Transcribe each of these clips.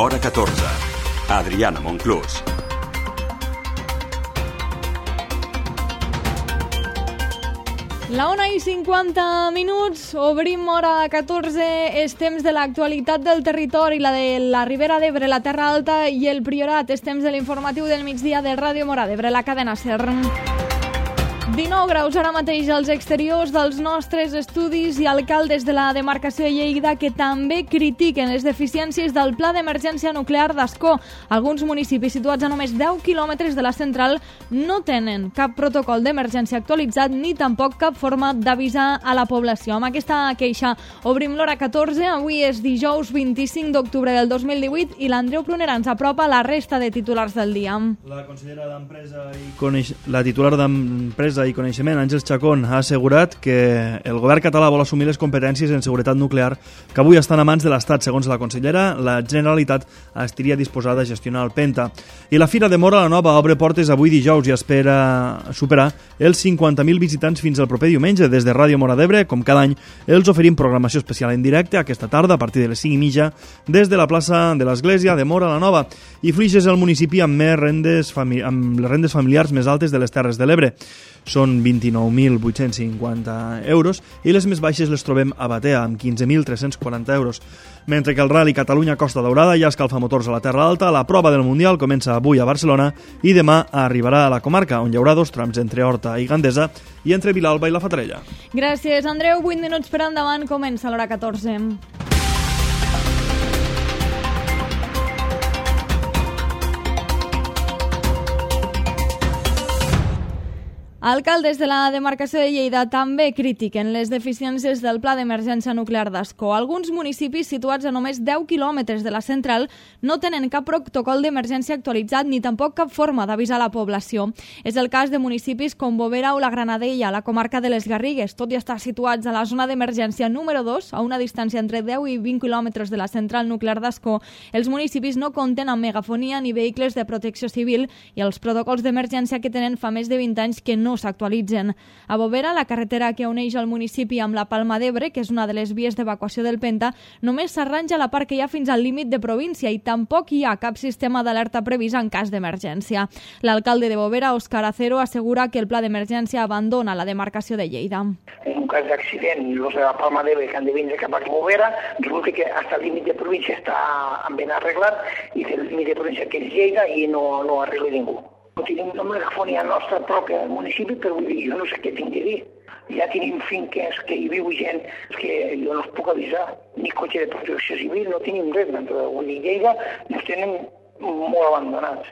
Hora 14. Adriana Monclús. La 1:50, obrim hora 14, és temps de l'actualitat del territori, la de la Ribera d'Ebre, la Terra Alta i el Priorat. És temps de l'informatiu del migdia de Ràdio Móra d'Ebre, la cadena SER. 19 graus ara mateix als exteriors dels nostres estudis i alcaldes de la demarcació de Lleida que també critiquen les deficiències del Pla d'Emergència Nuclear d'Ascó. Alguns municipis situats a només 10 quilòmetres de la central no tenen cap protocol d'emergència actualitzat ni tampoc cap forma d'avisar a la població. Amb aquesta queixa obrim l'hora 14. Avui és dijous 25 d'octubre del 2018 i l'Andreu Pruner ens apropa la resta de titulars del dia. La consellera d'Empresa la titular d'Empresa i Coneixement, Àngels Chacón, ha assegurat que el govern català vol assumir les competències en seguretat nuclear que avui estan a mans de l'Estat. Segons la consellera, la Generalitat estaria disposada a gestionar el Penta. I la Fira de Móra la Nova obre portes avui dijous i espera superar els 50.000 visitants fins al proper diumenge. Des de Ràdio Móra d'Ebre, com cada any, els oferim programació especial en directe aquesta tarda a partir de les 5:30 des de la plaça de l'Església de Móra la Nova. I Flix és el municipi amb les rendes familiars més altes de les Terres de l'Ebre. Són 29.850 euros i les més baixes les trobem a Batea, amb 15.340 euros. Mentre que el Rally Catalunya Costa Daurada ja escalfa motors a la Terra Alta, la prova del Mundial comença avui a Barcelona i demà arribarà a la comarca, on hi haurà 2 trams entre Horta i Gandesa i entre Vilalba i la Fatarella. Gràcies, Andreu. 8 minuts per endavant, comença l'hora 14. Alcaldes de la demarcació de Lleida també critiquen les deficiències del Pla d'Emergència Nuclear d'Ascó. Alguns municipis situats a només 10 quilòmetres de la central no tenen cap protocol d'emergència actualitzat ni tampoc cap forma d'avisar la població. És el cas de municipis com Bovera o la Granadella, a la comarca de les Garrigues. Tot i estar situats a la zona d'emergència número 2, a una distància entre 10 i 20 quilòmetres de la central nuclear d'Ascó, els municipis no compten amb megafonia ni vehicles de protecció civil i els protocols d'emergència que tenen fa més de 20 anys que no s'actualitzen. A Bovera, la carretera que uneix el municipi amb la Palma d'Ebre, que és una de les vies d'evacuació del Penta, només s'arranja la part que hi ha fins al límit de província i tampoc hi ha cap sistema d'alerta previst en cas d'emergència. L'alcalde de Bovera, Òscar Acero, assegura que el pla d'emergència abandona la demarcació de Lleida. En un cas d'accident, els de la Palma d'Ebre que han de vindre cap a Bovera, resulta que fins al límit de província està ben arreglat i el límit de província que és Lleida i no arregla ningú. No tenim una megafonia nostra pròpia al municipi, però vull dir, jo no sé què tinc de dir. Ja tenim finques que hi viu gent que jo no els puc avisar, ni cotxe de protecció civil, no tenim res. Vull dir, Lleida ens tenen molt abandonats.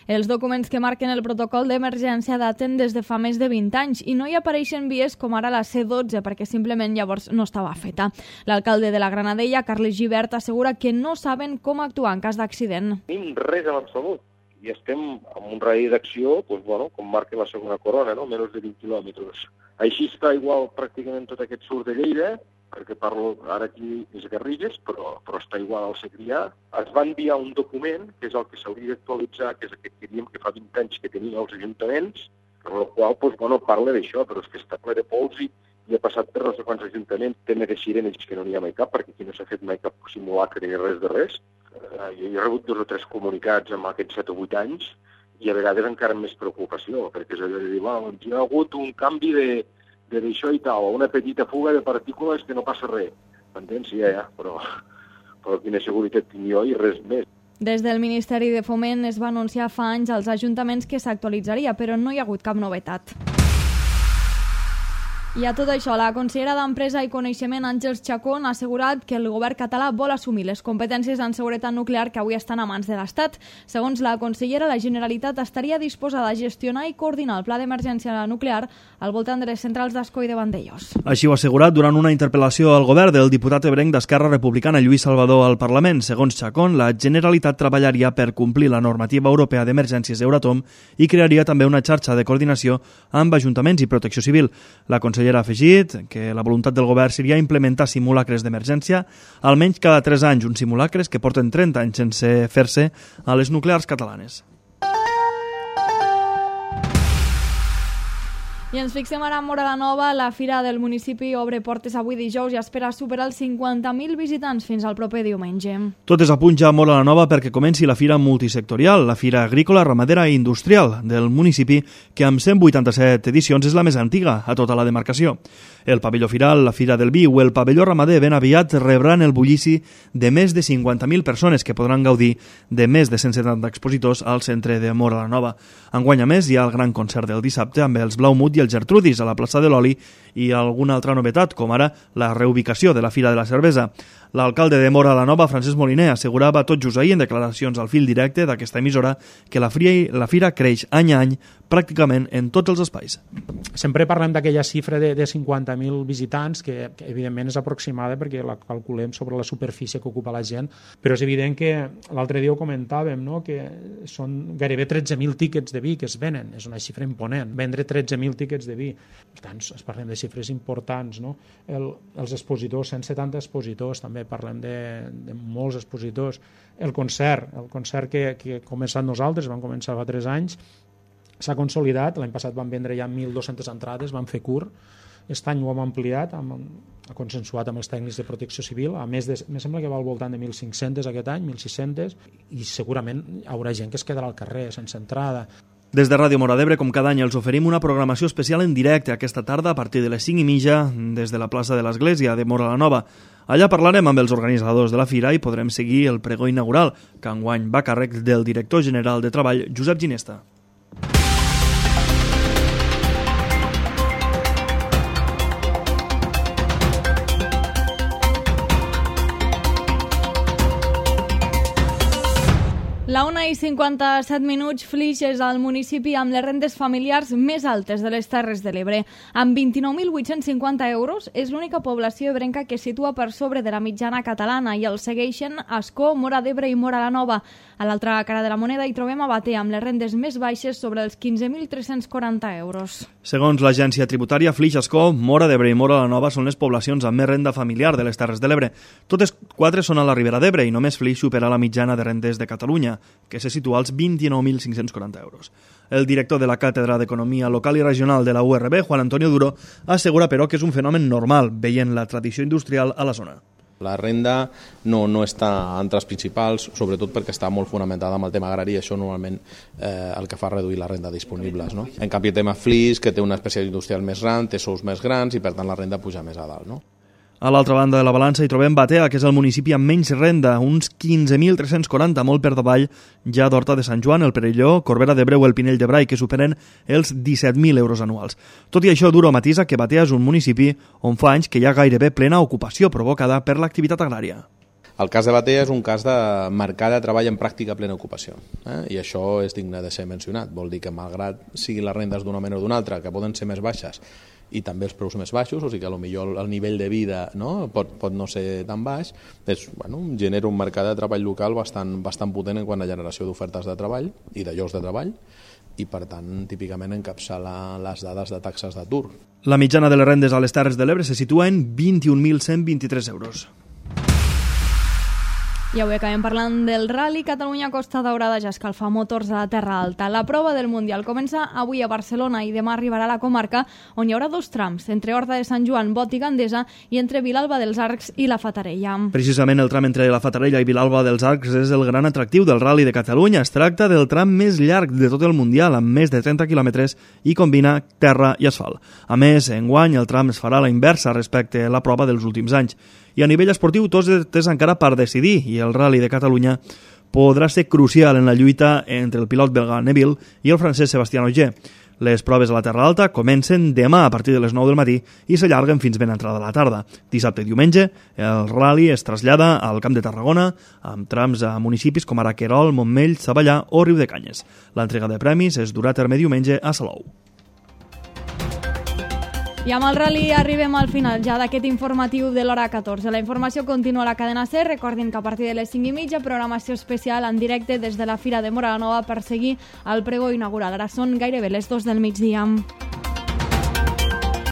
Els documents que marquen el protocol d'emergència daten des de fa més de 20 anys i no hi apareixen vies com ara la C12 perquè simplement llavors no estava feta. L'alcalde de la Granadella, Carles Gibert, assegura que no saben com actuar en cas d'accident. No tenim res en absolut. I estem en un radi d'acció, com marca la segona corona, menys de 20 quilòmetres. Així està igual pràcticament tot aquest sud de Lleida, perquè parlo ara aquí des Garrigues, però està igual al Segrià. Es va enviar un document, que és el que s'hauria d'actualitzar, que és aquest que diríem que fa 20 anys que tenien els ajuntaments, per el qual parla d'això, però és que està ple de pols i ha passat per no sé quants ajuntaments, tema de sirenes que no n'hi ha mai cap, perquè aquí no s'ha fet mai cap simulacre ni res de res. Jo he rebut 2 o 3 comunicats en aquests 7 o 8 anys i a vegades encara amb més preocupació, perquè és allò de dir, hi ha hagut un canvi d'això i tal, una petita fuga de partícules que no passa res. M'entens? Sí, però quina seguretat tinc jo i res més. Des del Ministeri de Foment es va anunciar fa anys als ajuntaments que s'actualitzaria, però no hi ha hagut cap novetat. I a tot això, la consellera d'Empresa i Coneixement, Àngels Chacón, ha assegurat que el govern català vol assumir les competències en seguretat nuclear que avui estan a mans de l'Estat. Segons la consellera, la Generalitat estaria disposada a gestionar i coordinar el pla d'emergència nuclear al voltant de les centrals d'Ascó i de Vandellòs. Així ho ha assegurat durant una interpel·lació al govern del diputat ebrenc d'Esquerra Republicana, Lluís Salvador, al Parlament. Segons Chacón, la Generalitat treballaria per complir la normativa europea d'emergències Euratom i crearia també una xarxa de coordinació amb ajuntaments i protecció civil. La consellera ha afegit que la voluntat del govern seria implementar simulacres d'emergència almenys cada 3 anys, uns simulacres que porten 30 anys sense fer-se a les nuclears catalanes. I ens fixem ara en Móra la Nova. La fira del municipi obre portes avui dijous i espera superar els 50.000 visitants fins al proper diumenge. Tot és a punt ja a Móra la Nova perquè comenci la fira multisectorial, la fira agrícola, ramadera i industrial del municipi, que amb 187 edicions és la més antiga a tota la demarcació. El pavelló firal, la fira del vi o el pavelló ramader ben aviat rebran el bullici de més de 50.000 persones que podran gaudir de més de 170 expositors al centre de Móra la Nova. Enguany, a més, hi ha el gran concert del dissabte amb els Blaumut i el Gertrudis a la plaça de l'Oli i alguna altra novetat, com ara la reubicació de la Fira de la Cervesa. L'alcalde de Móra la Nova, Francesc Moliner, assegurava tot just ahir en declaracions al fil directe d'aquesta emissora que la fira creix any a any pràcticament en tots els espais. Sempre parlem d'aquella xifra de 50.000 visitants, que evidentment és aproximada perquè la calculem sobre la superfície que ocupa la gent, però és evident que l'altre dia ho comentàvem, no? Que són gairebé 13.000 tíquets de vi que es venen, és una xifra imponent, vendre 13.000 tíquets de vi. Per tant, parlem de xifres importants, no? Els expositors, 170 expositors, també parlem de molts expositors. El concert que hem començat nosaltres, vam començar fa 3 anys, s'ha consolidat. L'any passat vam vendre ja 1.200 entrades, vam fer curt. Aquest any ho hem ampliat, ha consensuat amb els tècnics de protecció civil. A més, me sembla que va al voltant de 1.500 aquest any, 1.600, i segurament hi haurà gent que es quedarà al carrer sense entrada. Des de Ràdio Móra d'Ebre, com cada any, els oferim una programació especial en directe aquesta tarda a partir de les 5:30 des de la plaça de l'Església de Móra la Nova. Allà parlarem amb els organitzadors de la fira i podrem seguir el pregó inaugural, que enguany va a càrrec del director general de Treball, Josep Ginesta. La 1:57, Flix és el municipi amb les rendes familiars més altes de les Terres de l'Ebre. Amb 29.850 euros, és l'única població ebrenca que situa per sobre de la mitjana catalana i el segueixen Ascó, Móra d'Ebre i Móra la Nova. A l'altra cara de la moneda hi trobem a Batea, amb les rendes més baixes sobre els 15.340 euros. Segons l'agència tributària, Flix, Ascó, Móra d'Ebre i Móra la Nova són les poblacions amb més renda familiar de les Terres de l'Ebre. Totes 4 són a la Ribera d'Ebre i només Flix supera la mitjana de rendes de Catalunya, que se situa als 29.540 euros. El director de la Càtedra d'Economia Local i Regional de la URB, Juan Antonio Duro, assegura, però, que és un fenomen normal, veient la tradició industrial a la zona. La renda no està entre els principals, sobretot perquè està molt fonamentada amb el tema agrari i això normalment el que fa reduir la renda disponibles. No? En canvi, el tema Flix, que té una especialitat industrial més gran, té sous més grans i per tant la renda puja més a dalt. No? A l'altra banda de la balança hi trobem Batea, que és el municipi amb menys renda, uns 15.340, molt per davall ja d'Horta de Sant Joan, el Perelló, Corbera d'Ebre o el Pinell de Brai, que superen els 17.000 euros anuals. Tot i això, Duro matisa que Batea és un municipi on fa anys que hi ha gairebé plena ocupació provocada per l'activitat agrària. El cas de Batea és un cas de mercat de treball en pràctica plena ocupació, i això és digne de ser mencionat. Vol dir que malgrat siguin les rendes d'una manera o d'una altra, que poden ser més baixes, i també els preus més baixos, o sigui que potser el nivell de vida pot no ser tan baix, genera un mercat de treball local bastant potent en quant a generació d'ofertes de treball i de llocs de treball, i per tant típicament encapçala les dades de taxes d'atur. La mitjana de les rendes a les Terres de l'Ebre se situa en 21.123 euros. I avui acabem parlant del Rally Catalunya Costa Daurada, ja escalfa motors a la Terra Alta. La prova del Mundial comença avui a Barcelona i demà arribarà a la comarca, on hi haurà 2 trams, entre Horta de Sant Joan, Bot i Gandesa, i entre Vilalba dels Arcs i la Fatarella. Precisament el tram entre la Fatarella i Vilalba dels Arcs és el gran atractiu del Rally de Catalunya. Es tracta del tram més llarg de tot el Mundial, amb més de 30 quilòmetres, i combina terra i asfalt. A més, enguany el tram es farà a la inversa respecte a la prova dels últims anys. I a nivell esportiu tot és encara per decidir i el Rally de Catalunya podrà ser crucial en la lluita entre el pilot belga Neville i el francès Sébastien Ogier. Les proves a la Terra Alta comencen demà a partir de les 9 del matí i s'allarguen fins ben entrada a la tarda. Dissabte i diumenge el Rally es trasllada al Camp de Tarragona amb trams a municipis com ara Querol, Montmell, Savallà o Riudecanyes. L'entrega de premis es durà a terme diumenge a Salou. I amb el Rally arribem al final ja d'aquest informatiu de l'hora 14. La informació continua a la cadena SER. Recordin que a partir de les 5:30 programació especial en directe des de la Fira de Móra la Nova per seguir el pregó inaugural. Ara són gairebé les 2 del migdia.